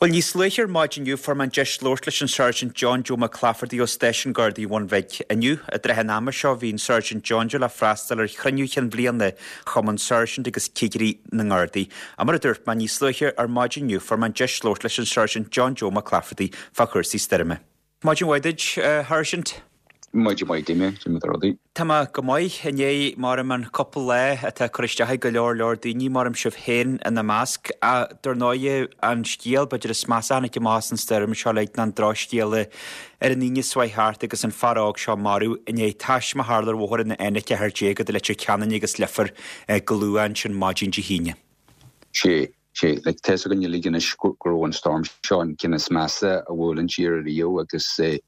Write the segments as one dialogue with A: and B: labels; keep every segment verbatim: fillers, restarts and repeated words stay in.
A: Well níos luaithe ar maidin inniu fuair mé an deis labhairt leis an Sergeant John Joe Mac Clafferty ó Stáisiún Gardaí Bhun Bhig. Inniu i dtrátha an ama seo bhí an Sergeant John Joe le freastal ar chruinniú chinn bhliana Chumann Sáirsint agus Cigirí na nGardaí. A mar a dúirt mé níos luaithe ar maidin inniu fuair mé an deis labhairt leis an Sergeant John Joe Mac Clafferty fá chúrsaí stoirme. Maidin mhaith duit, uh, Sergeant.
B: Maidin mhaith Damien rudaí.
A: Tá mé go maith inné mar an cúpla lá atá cur isteach go leor leor daoine mar am sibh féin ina measc a dar ndóigh an scéal b'fhéidir is measa a tháinig amach an stoirm seo le an drochscéal ar an Aoine seo thart agus an fear óg seo marbh inné taisme a tharla ar bhóthar an N ceathair déag idir Leitir Ceanainn agus Leifear go luath ansin maidin Dé hAoine.
B: Sé sé le tá go uilig go raibh an storm seo an ceann is measa a bhuail an tír riamh agus eh,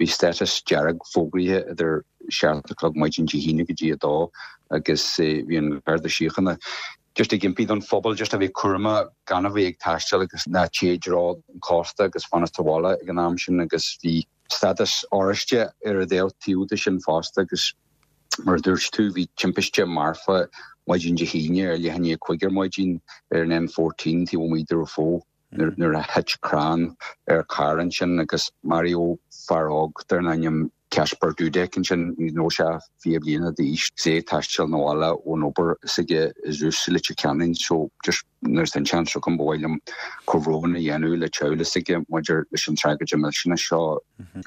B: bhí status dearg fógraithe idir seacht a chlog maidin Dé hAoine go dtí a dó agus eh, bhí an Garda Síochána. Just ag impí don phobal just a bheith cúramach gan a bheith ag taisteal agus ná téigh i dtreo an cósta agus fanacht sa bhaile ag an am sin agus bhí status oráiste ar a dtaobh tíúda sin fosta agus mar dúirt tú bhí timpiste marfa maidin Dé hAoine ar leath i ndiaidh a cúig ar maidin ar an N fourteen taobh amuigh de fó nuair a thit crann ar carr ansin agus maraíodh fear óg darb ainm Casper Dudek ansin nó sé fiche bliana d'aois sé taisteal na bhaile ón obair s'aige is Leitir Ceanainn so just nuair an seans agam ba mhaith liom comhbhrón a dhéanamh le teaghlach s'aige maidir leis an tragóid millteanach seo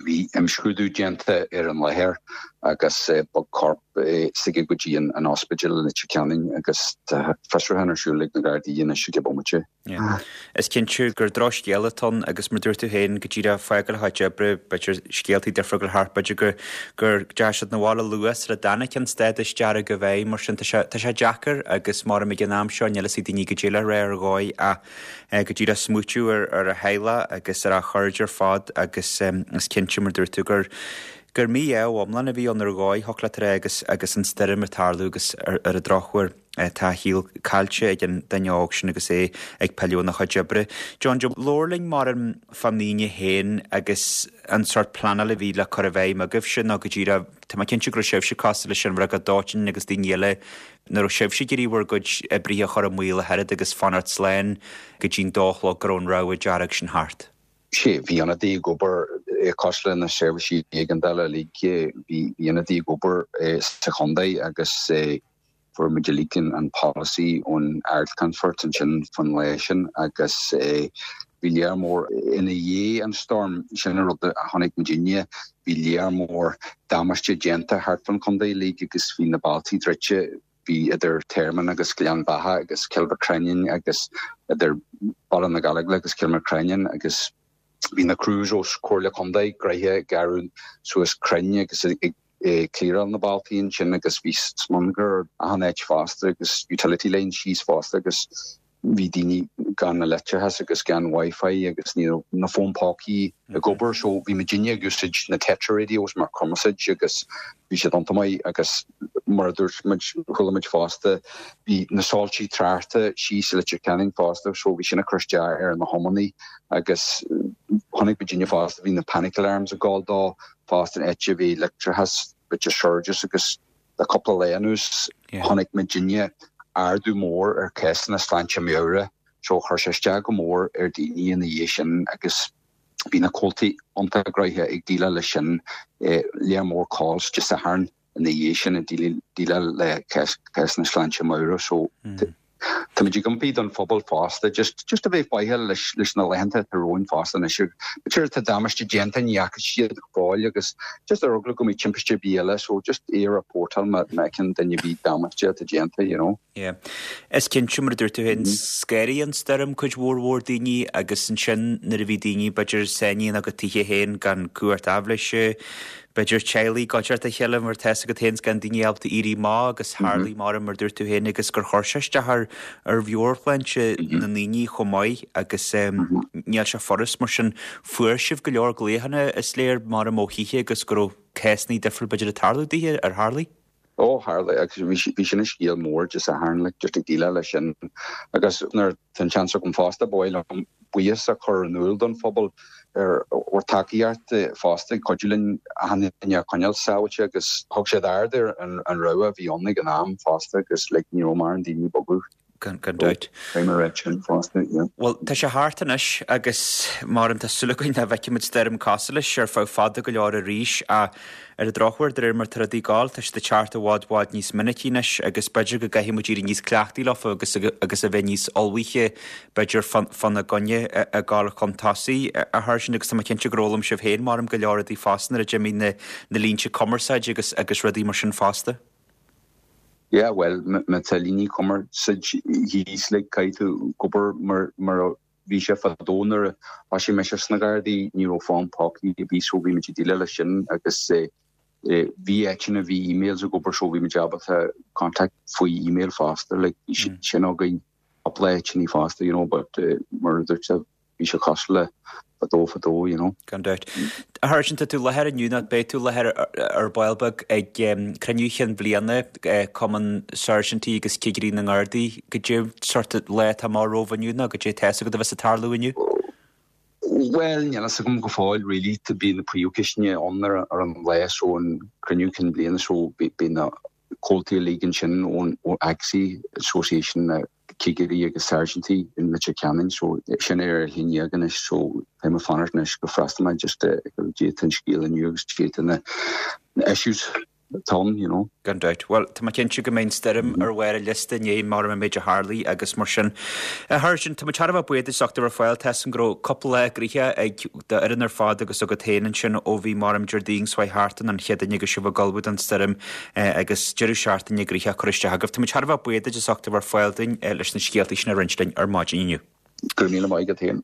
B: bhí imscrúdú déanta ar an láthair agus bog corp s'aige go dtí an ospidéal Leitir Ceanainn agus fiosrúchán ar siúl ag na Gardaí anois ag bomaite.
A: Is cinnte gur drochscéal atá ann agus mar dúirt tú féin go díreach fágáil a háit oibre b'fhéidir scéaltaí difriúil thart b'fhéidir gur gur deis na bhile luas le dana cin stádas dearg a bheith mar sin tá sé deacair agus mar ag an am seo níl a fhios ag daoine go dtí le ré ar dhóigh a go dtí smaoitiú ar ar a theaghlach agus ar a chairde ar fad agus is cinnte mar dúirt tú gur gur mí-ádh iomlán a bhí ann ar dhóigh thocla agus agus an stoirm ag tarlú agus ar, ar an drochuair tá a shaol caillte ag an duine óg sin agus é ag pilleadh óna chuid oibre. John Joe labhair linn mar an fan aoine féin agus an sort pleanáil a bhí le cur i bhfeidhm agaibh sin nó go dtí Tá mé cinnte go raibh sibhse cosúil leis an bhfreagra dóiteáin agus daoine eile nuair a sibhse ag iarraidh bhur gcuid oibrithe a chur i mbaol a oiread agus fanacht slán go dtí'n dó a chlog go raibh an rabhadh dearg sin thart.
B: Sé bhí ionadaí ag obair cosúil na seirbhísí éigeandála uilig bhí ionadaí ag obair sa chontae agus fuair muid uilig an policy ón Ardcheannfort ansin fan lá sin agus bhí léir mór ina dhiaidh an storm sin an rud a chonaic muidinne bhí léir mór damáiste déanta thart fan chontae uilig agus bhí na bailte druidte bhí idir Tearmann agus Gleann Bheatha agus Cill Mhic agus idir Baile na Gallóglach agus Cill Mhic agus bhí na crews ó Chomhairle Contae gnoitheach gearradh suas crainn agus ag clearáil na bailte sin agus bhí smionagar achan áit fosta agus utility line síos fosta agus bhí daoine gan na leictreachas agus gan wifi agus ní na fón pócaí ag obair so bhí muidinne ag úsáid na Tetra radios mar cumarsáid agus bhí siad an-mhaith agus mar dúirt muid chuala muid fosta bhí na soilse tráchta síos Leitir Ceanainn fosta so bhí sin ag cur isteach ar na hiománaí agus chonaic muidinne fosta bhí na panic alarms ag gabháil dó fosta an áit bhí leictreachas bit surges agus le cúpla lá anuas chonaic muidinne ardú mór ar cásanna sláinte meabhrach so chuir sé isteach go mór ar daoine ina dhiaidh sin agus bhí na comhaltaí iontach gnoitheach ag déileáil leis sin léir mór calls Dé Sathairn ina dhiaidh sin ag déileáil le cásanna sláinte meabhrach so Tá muid ag impí don phobal fosta just just a bheith faichilleach leis leis na laethanta atá romhainn fosta anois B'fhéidir tá damáiste déanta ní fhaca siad go fóill agus just ar eagla go mbeidh timpiste ar bith eile so just é a reportáil má fheiceann duine bhí damáiste atá déanta you know.
A: Yeah. Is cinnte mar dúirt tú féin scanraigh an stoirm cuid mhór mhór daoine agus ansin nuair a bhí daoine b'fhéidir sáinnithe ina dtithe féin gan cumhacht aibhléise, b'fhéidir teaghlaigh go a chéile mar tá go féin gan daoine ábalta éirí amach agus tharlaigh mar mar dúirt tú féin agus gur chuir sé isteach ar ar mheabhairshláinte na ndaoine chomh maith agus níl sé furast mar sin fuair sibh go leor glaochanna is léir mar a ó thithe agus go raibh cásanna difriúil b'fhéidir ag tarlú daoithe ar tharlaigh.
B: Ó tharla agus bhí sin scéal mór Dé Sathairn le just ag déileáil leis sin agus nuair tá an seans agam fosta ba mhaith liom buíochas a chur in iúl don phobal ar bhur dtacaíocht fosta cuidiú linn achan duine a choinneáil sábháilte agus thug siad aird ar an, an rabhadh a bhí ann ag an am fosta agus le ní raibh mar an daoine bogadh.
A: Gan dabht.
B: Well
A: tá sé thart anois agus mar tá súil againn nach bhfeicfimid stoirm cosúil leis ar feadh fada go leor arís ach ar an drochuair de réir mar tá rudaí ag gabháil tá siad ag teacht i bhfad bhfad níos minicí anois agus b'fhéidir go gcaithfidh muid éirí níos cleachtaí leofa agus agus a bheith níos ullmhaithe b'fhéidir fána gcoinne ag gabháil chun tosaigh a Sháirsint agus tá mé cinnte gur fhoghlaim sibh féin mar go leor rudaí fosta nuair a d'imigh na na línte cumarsáide agus agus rudaí mar sin fosta.
B: Yeah, well má tá líní cumarsáide thíos like caithfidh tú obair mar mar bhí sé fadó nuair a thosaigh mise sna Gardaí ní raibh fón póca a bhí so bhí muid ag déileáil leis sin agus bhí áiteanna bhí emails ag obair so bhí muid ábalta contact faoi email fosta like sin againn cúpla áiteanna fosta you know but uh, mar dúirt bhí sé cosúil le fadó fadó you know.
A: Gan dabht. A Sháirsint tá tú i láthair inniu nó beidh tú i láthair ar ball beag ag cruinniú chinn bhliana Cumann Sáirsintí agus Cigirí na nGardaí goidé sórt lá atá amach romhaibh inniu nó goidé tá a bheas ag tarlú inniu?
B: Well níl a fhios agam go fóill really to bhí na príomhcheisteanna ann ar ar an lá so an cruinniú cinn bliana so bhí na comhaltaí uilig ansin ón ACSI Association na cigirí agus sáirsintí in Leitir Ceanainn so sin ar a haon déag anois so tá mé fanacht anois go freastal mé just go dtí an scéal inniu agus dtí na issues atá ann you know.
A: Gan dabht. Well tá mé cinnte go mbeidh an stoirm ar bharr an liosta inné mar an méid a tharla agus mar sin. A Sháirsint tá thar a bheith buíoch as ucht a bheith ar fáil tá a fhios agam go raibh cúpla lá gnoitheach ag d'fhoireann ar fad agus agat féin ansin ó bhí mar Déardaoin seo thart an Chéadaoin agus sibh ag ullmhú don stoirm agus deireadh seachtaine gnoitheach curtha isteach agaibh. Tá thar a bheith buíoch as ucht a bheith ar fáil dúinn leis na scéalta sin a roinnt linn ar maidin inniu.
B: Go míle maith agat féin.